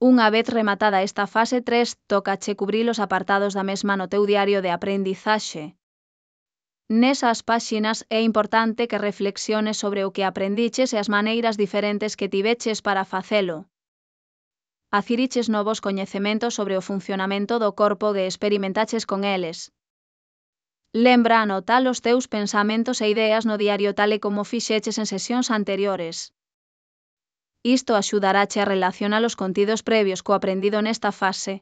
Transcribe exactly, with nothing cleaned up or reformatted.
Unha vez rematada esta fase tres, tócache cubrir os apartados da mesma no teu diario de aprendizaxe. Nesas páxinas é importante que reflexiones sobre o que aprendiches e as maneiras diferentes que tiveches para facelo. Adquiriches novos coñecementos sobre o funcionamento do corpo e experimentaches con eles. Lembra anotar os teus pensamentos e ideas no diario tal e como fixeches en sesións anteriores. Isto axudarache a relacionar os contidos previos co aprendido nesta fase.